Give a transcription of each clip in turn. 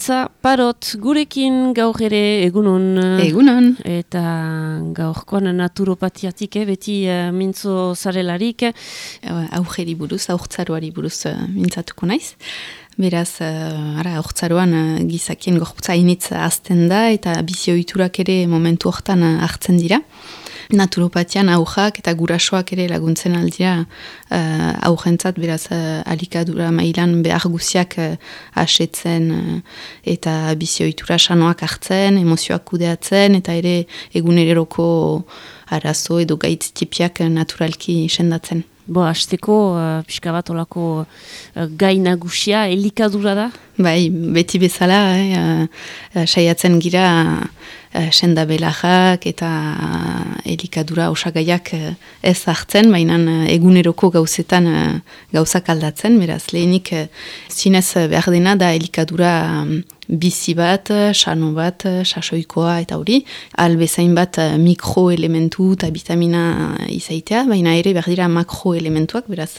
Iritza Parot gurekin gaur ere egunon. Egunon. Eta gaurkoan naturopatiatik, beti mintzo zarelarik. Aurreri buruz, aurtzaroari buruz mintzatuko naiz. Beraz, aurtzaroan gizakien gorputza initz azten da eta bizioiturak ere momentu hortan hartzen dira. Naturopatian aujak eta gurasoak ere laguntzen aldira aujentzat, beraz alikadura mailan behar guziak asetzen eta bizioitura sanoak hartzen, emozioak kudeatzen eta ere eguneroko arazo edo gaitz tipiak naturalki sendatzen. Hasteko, pixka bat olako gai nagusia, elikadura da? Bai, beti bezala, saiatzen gira sendabelajak eta elikadura osagaiak ez hartzen, baina eguneroko gauzetan gauzak aldatzen, beraz lehenik zinez behar dena da elikadura bizi bat, sano bat, sasoikoa eta hori, albezain bat mikroelementu eta vitamina izaitea, baina ere behar dira makroelementuak, beraz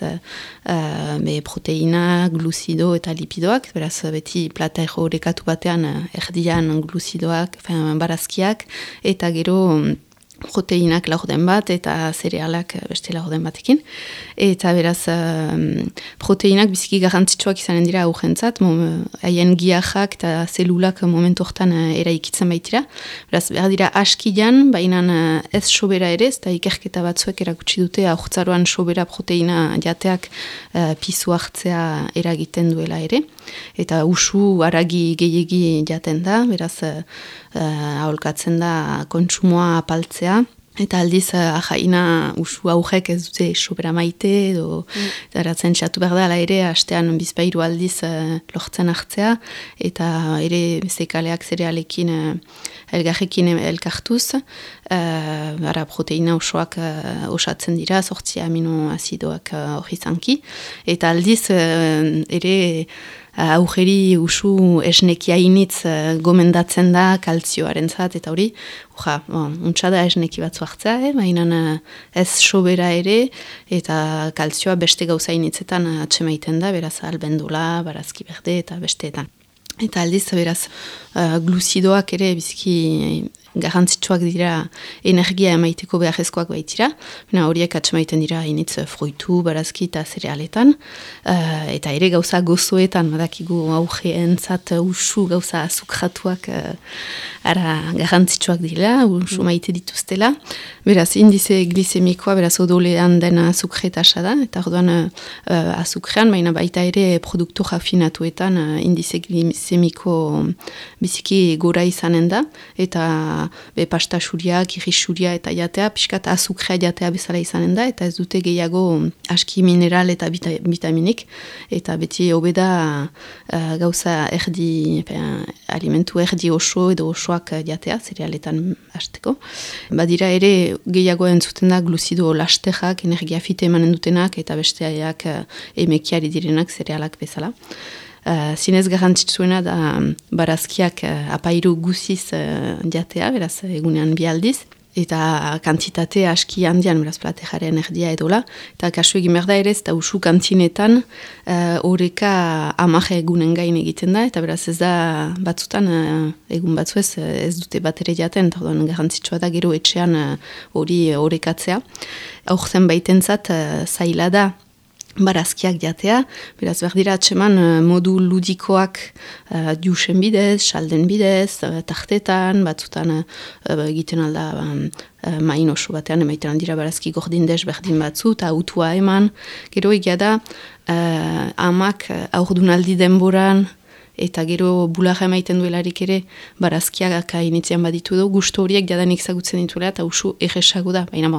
proteina, gluzido eta lipidoak, beraz beti plata errekatu batean erdian gluzidoak, barazkiak, eta gero proteinak laurden bat eta zerealak beste laurden batekin. Eta beraz, proteinak biziki garrantzitsuak izanen dira aurrentzat, haien giajak eta zelulak momentu hortan eraikitzen baitira. Beraz, behar dira askian, baina ez sobera ere, eta ikerketa batzuek erakutsi dute aurtzaroan sobera proteina jateak pisu hartzea eragiten duela ere. Eta usu haragi gehiegi jaten da, beraz, aholkatzen da kontsumoa apaltzea. Eta aldiz, ahaina usu aurrek ez dute sobera maite, edo daratzen txatu behar da, ala ere, hastean bizpairu aldiz lortzen hartzea, eta ere zekaleak zerealekin elgarrekin elkartuz, proteina osoak osatzen dira, 8 aminoazidoak hori zanki, eta aldiz ere aurreri usu esnekia initz gomendatzen da kaltzioaren zat, eta hori, untsa da esneki batzu hartzea, baina ez sobera ere, eta kaltzioa beste gauza initzetan atsemaiten da, beraz albendula, barazki berde eta besteetan. Eta aldiz, beraz, gluzidoak ere biziki garrantzitsuak dira energia emaiteko beharrezkoak baitira. Horiek atsemaiten dira initz fruitu, barazki eta zerealetan. Eta ere gauza gozoetan, badakigu aurreentzat usu gauza azukratuak garrantzitsuak dira, usu maite dituztela. Beraz, indize glisemikoa, beraz odolean den azukretasa da, eta orduan azukrean, baina baita ere produktu rafinatuetan indize glisemiko biziki gora izanen da, eta pasta xuria, kirri xuria eta jatea, pixkat azukrea jatea bezala izanen da, eta ez dute gehiago aski mineral eta vitaminik, eta beti hobeda gauza erdi, alimentu erdi oso edo osoak jatea, zerealetan hasteko. Badira ere gehiago entzuten da gluzido lastejak, energia fite emanen dutenak, eta besteak emekiari direnak zerealak bezala. Zinez garrantzitsuena da barazkiak apairu guziz jatea, beraz egunean bi aldiz, eta kantitate aski handian, beraz platejaren erdia edola, eta kasu egin behar da ere, eta usu kantzinetan horreka 10 egunen gain egiten da, eta beraz ez da batzutan, egun batzu ez dute bat ere jaten, eta garrantzitsua da gero etxean hori horrekatzea. Aurten baitentzat zaila da, barazkiak jatea, beraz behar dira atseman modu ludikoak jusen bidez, salden bidez, tartetan, batzutan egiten alda main oso batean, emaiten aldira barazki gordindez berdin batzu, eta autua eman. Gero egia da, amak aurdunaldi denboran, eta gero bularra emaiten duelarik ere barazkiak initzean baditu du, gustu horiek jadanik zagutzen dituela eta usu erresago da. Baina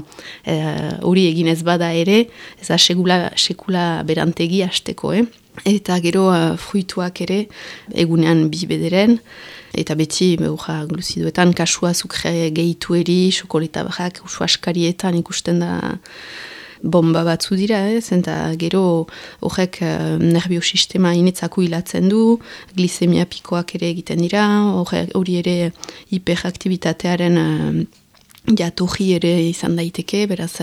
hori egin ez bada ere, ez da sekula berantegi hasteko. Eta gero fruituak ere egunean bi bederen, eta beti gluzidoetan kasua azukre gehitueri, xokoleta barrak, usu askarietan ikusten da bomba batzu dira, eta gero horrek nerviosistema inetzako hilatzen du, glisemia pikoak ere egiten dira, hori ere hiperaktibitatearen jatorri ere izan daiteke, beraz,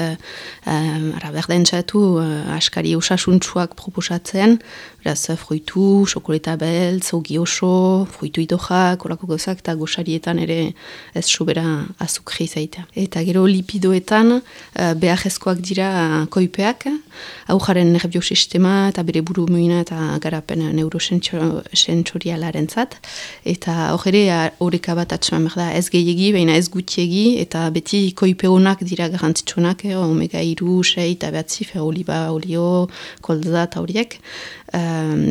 berdentzatu askari osasuntsuak proposatzen, beraz, fruitu, xokoleta beltz, ogi oso, fruitu idojak, orako gozak, eta goxarietan ere ez sobera azukri zaitea. Eta gero lipidoetan beharrezkoak dira koipeak, aujaren nerviosistema eta bere buru muina eta garapen neurosentsorialaren zat, eta hor ere horreka bat atxeman behar da ez gehiegi, baina ez gutiegi, eta beti koipe honak dira garrantzitsunak, omega 3, 6 eta behatzi, oliba, olio, kolza eta horiek,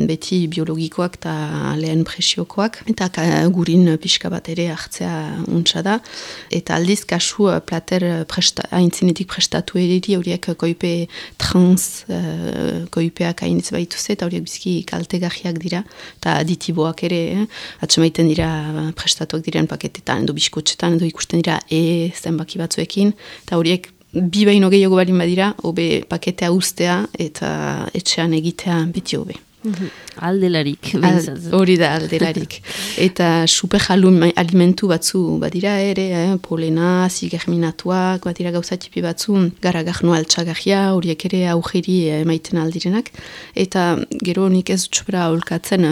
beti biologikoak eta lehen presiokoak, eta gurin pixka bat ere hartzea untsa da, eta aldiz kasu plater haintzinetik prestatu eriri horiek koipe trans koipeak hainitz baituz, eta horiek bizki kaltegarriak dira, eta aditiboak ere, atxemaiten dira prestatuak diren paketetan, edo biskotxetan, edo ikusten dira zenbaki batzuekin, eta horiek bi baino gehiago balin badira, hobe paketea ustea eta etxean egitea beti hobe. Aldelarik. Hori da aldelarik. Eta super alimentu batzu badira ere, polena, zigerminatuak, badira gauza tipi batzu, garagarno altxagarria, horiek ere aujeri emaiten aldirenak. Eta gero nik ez dutxopera holkatzen,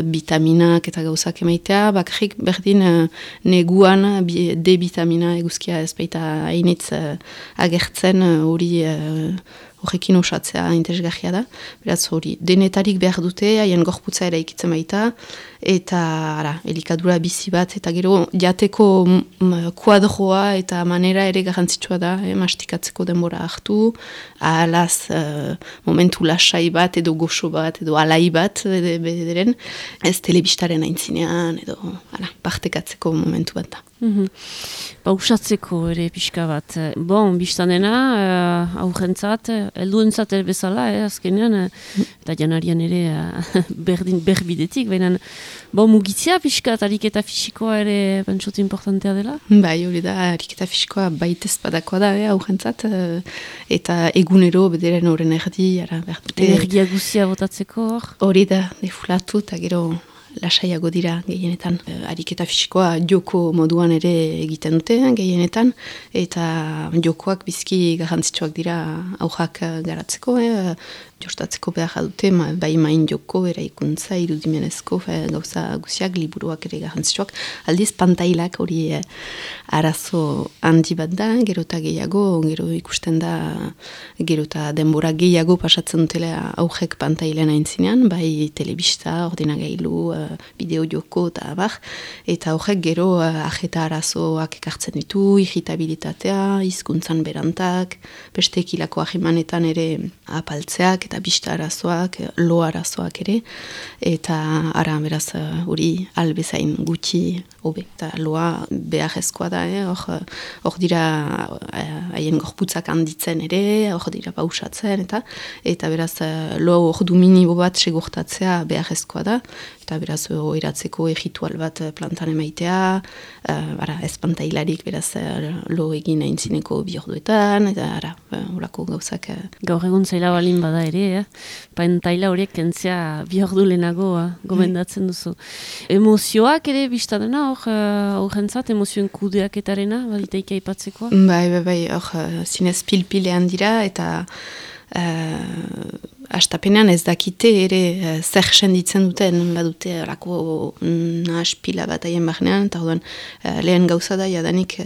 vitaminak eta gauzak emaitea, bakarrik berdin neguan D-vitamina eguzkia ez baita hainitz agertzen hori horrekin osatzea interesgarria da. Beraz hori, denetarik behar dute, haien gorputza eraikitzen baita, eta elikadura bizi bat, eta gero jateko kuadroa eta manera ere garrantzitsua da, mastikatzeko denbora hartu, ahalaz momentu lasai bat, edo goxo bat, edo alai bat, bederen, ez telebistaren aintzinean, edo partekatzeko momentu bat da. Usatzeko ere pixka bat. Bon, biztanena, aurrentzat, helduentzat ere bezala, azkenean, eta janarian ere berbidetik, baina mugitzea pixka, ariketa fisikoa ere pentsot importantea dela? Bai, hori da, ariketa fisikoa baitez badakoa da, aurrentzat, eta egunero bederen horren erdi, energia guzia botatzeko hor? Hori da, defulatu, eta gero lasaiago dira gehienetan. Ariketa fisikoa joko moduan ere egiten dute gehienetan, eta jokoak bizki garrantzitsuak dira aujak garatzeko, jostatzeko behar dute, bai main joko, eraikuntza, irudimenezko, gauza guziak, liburuak ere garrantzitsuak. Aldiz, pantailak hori arazo handi bat da, gero eta gehiago, gero ikusten da, gero eta denbora gehiago pasatzen dutela aujek pantailen aintzinean, bai telebista, ordinagailu, bideo joko eta abar, eta horrek gero ajeta arazoak ekartzen ditu, irritabilitatea, hizkuntzan berantak, bestekilako ahimanetan ere apaltzeak, eta bista arazoak, lo arazoak ere, eta beraz hori albezain gutxi hobe. Eta loa beharrezkoa da, hor dira haien gorputzak handitzen ere, hor dira pausatzen, eta beraz lo hor du minibo bat segurtatzea beharrezkoa da, eta beraz oiratzeko erritual bat plantan emaitea, ez pantailarik beraz lo egin aintzineko bi orduetan, eta horako gauzak. Gaur egun zaila balin bada ere, pantaila horiek kentzea bi ordu lehenago gomendatzen duzu. Emozioak ere biztadena horrentzat, emozioen kudeaketarena, baditeik aipatzeko? Bai, hor zinez pil-pilean dira, eta astapenean ez dakite ere zer senditzen duten, badute orako nahaspila bat aien barnean, eta orduan lehen gauza da, jadanik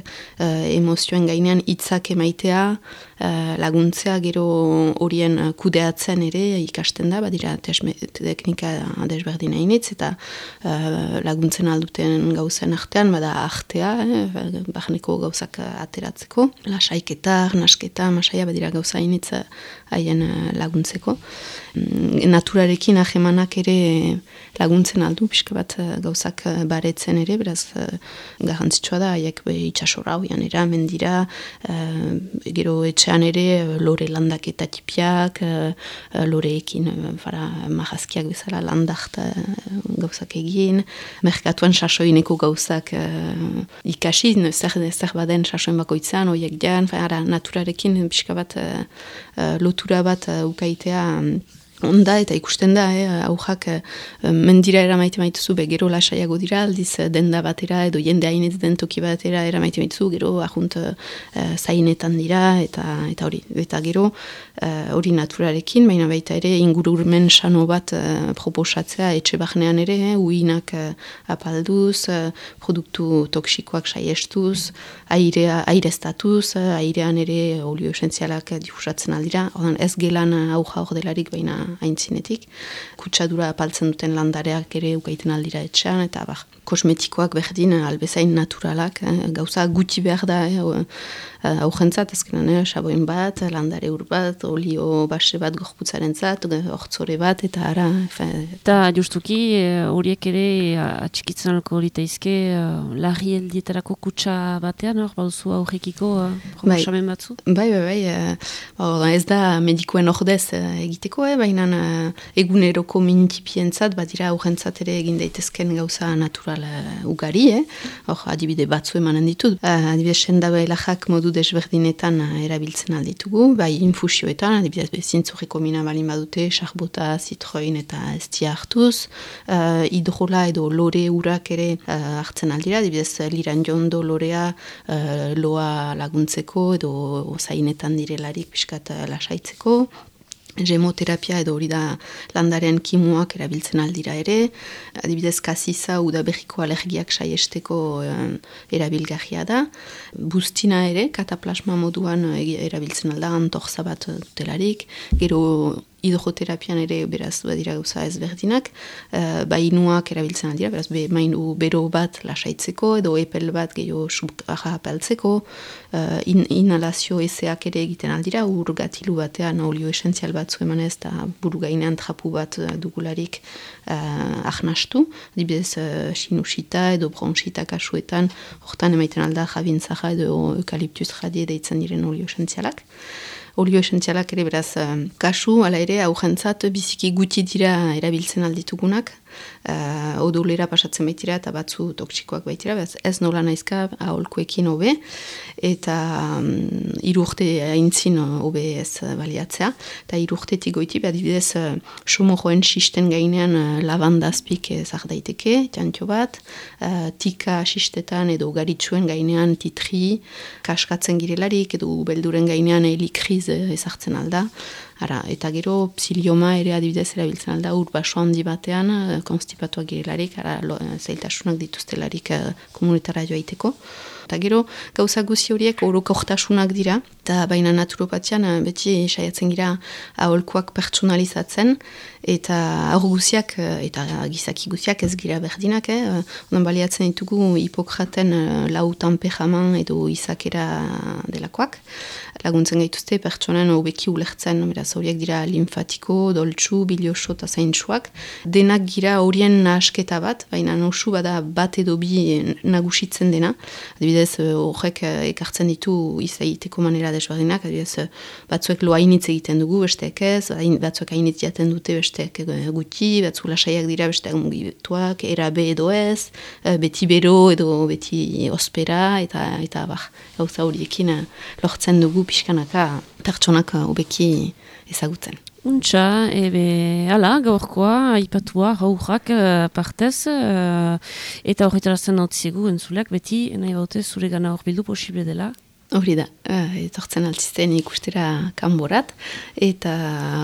emozioen gainean hitzak emaitea, laguntzea gero horien kudeatzen ere ikasten da, badira teknika desberdin hainitz, eta laguntzen alduten gauzen artean, bada artea, barneko gauzak ateratzeko, lasaiketa, nasketa, masaia, badira gauza hainitz haien laguntzeko. Naturarekin ahemanak ere laguntzen aldu, pixka bat gauzak baretzen ere, beraz garrantzitsua da, haiek itxasora hoian eramen dira, gero etxean ere lore landak eta tipiak, loreekin marazkiak bezala landak gauzak egin, merkatuan sasoineko gauzak ikasi, zer baden sasoin bakoitzan, hoiek jan, naturarekin pixka bat lotura bat ukaitea onda eta ikusten da, aujak mendira eramaite maituzu, gero lasaiago dira, aldiz denda batera edo jende hainetz den toki batera eramaite maituzu, gero ajunt zainetan dira eta hori. Eta gero hori naturarekin, baina baita ere ingururmen sano bat proposatzea etxe bahnean ere, uinak apalduz, produktu toksikoak saiestuz, airestatuz, airean ere olio esentzialak difusatzen aldira, ez gelan auja hor delarik baina aintzinetik. Kutsadura apaltzen duten landareak ere ukaiten aldira etxean, eta kosmetikoak berdin albezain naturalak, gauza guti behar da, aujentzat, azkenan, saboin bat, landare ur bat, olio base bat gorputzaren zat, hortzore bat, eta ara. Eta justuki, horiek ere atxikitzen alko horitaizke, larri heldietarako kutsa batean, bauzu aurrekiko proposamen batzu? Bai, ez da medikoen ordez egiteko, baina eguneroko mintipientzat, badira aurrentzat ere egin daitezken gauza natural ugari, adibide batzu emanen ditut. Adibide sendabailajak modu desberdinetan erabiltzen alditugu, bai infusioetan, adibidez bezintzurreko mina balin badute, sarbota, zitroin eta estia hartuz, hidrola edo lore urak ere hartzen aldira, adibidez liran jondo lorea loa laguntzeko edo zainetan direlarik pixkat lasaitzeko, gemoterapia edo hori da landaren kimuak erabiltzen aldira ere, adibidez kasiza udaberriko alergiak saiesteko erabilgarria da, bustina ere, kataplasma moduan erabiltzen alda, antorza bat dutelarik, gero hidroterapian ere beraz badira gauza ezberdinak, bainuak erabiltzen aldira, beraz mainu bero bat lasaitzeko, edo epel bat gehiago subaja apaltzeko, inhalazio ezeak ere egiten aldira, gatilu batean olio esentzial batzu emanez, eta buru gainean trapu bat dugularik ahnastu, dibidez sinusita edo bronxita kasuetan, hortan emaiten alda jabintzaja edo eukaliptuz jadie deitzen diren olio esentzialak. Olio esentzialak ere beraz kasu, ala ere aujentzat biziki guti dira erabiltzen alditugunak, odolera pasatzen baitira eta batzu toksikoak baitira, ez nola naizka aholkoekin hobe, eta 3 urte aintzin hobe ez baliatzea, eta 3 urtetik goiti, adibidez somojoen sisten gainean lavandazpik ezak daiteke, txantxo bat, tika sistetan edo garitsuen gainean titri, kaskatzen girelarik, edo belduren gainean helikriz ezartzen alda, eta gero psilioma ere adibidez erabiltzen alda, ur baso handi batean, konstipatuak girelarik, zailtasunak dituztelarik komunitara joaiteko. Eta gero, gauza guzi horiek orokortasunak dira, eta baina naturopatian beti saiatzen gira aholkuak pertsonalizatzen, eta aur guziak, eta gizaki guziak ez gira berdinak, onan baliatzen ditugu Hipokraten 4 tanpejaman edo izakera delakoak, laguntzen gaituzte pertsonen hobeki ulertzen, beraz horiek dira linfatiko, doltsu, bilioso eta zaintsuak, denak gira horien nahasketa bat, baina nosu bada bat edo bi nagusitzen dena, adibidez horrek ekartzen ditu izaiteko manera desberdinak, adibidez batzuek lo hainitz egiten dugu, besteek ez, batzuek hainitz jaten dute besteek guti, batzu lasaiak dira besteak mugituak, erabe edo ez, beti bero edo beti ospera, eta gauza horiekin lortzen dugu pixkanaka pertsonak hobeki ezagutzen. Untxa, ala, gaurkoa, aipatua, gaurrak partez, eta horretarazten nautziegu entzuleak, beti nahi baute zure gana horbildu posible dela. Hori da, etortzen altzizten ikustera kanborat, eta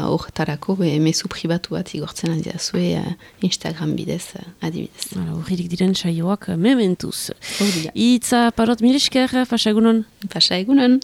horretarako mezu pribatu bat igortzen aldiazue Instagram bidez adibidez. Horririk diren saioak mementuz. Hori da. Itza parot milesker, pasa egunon? Pasa egunon.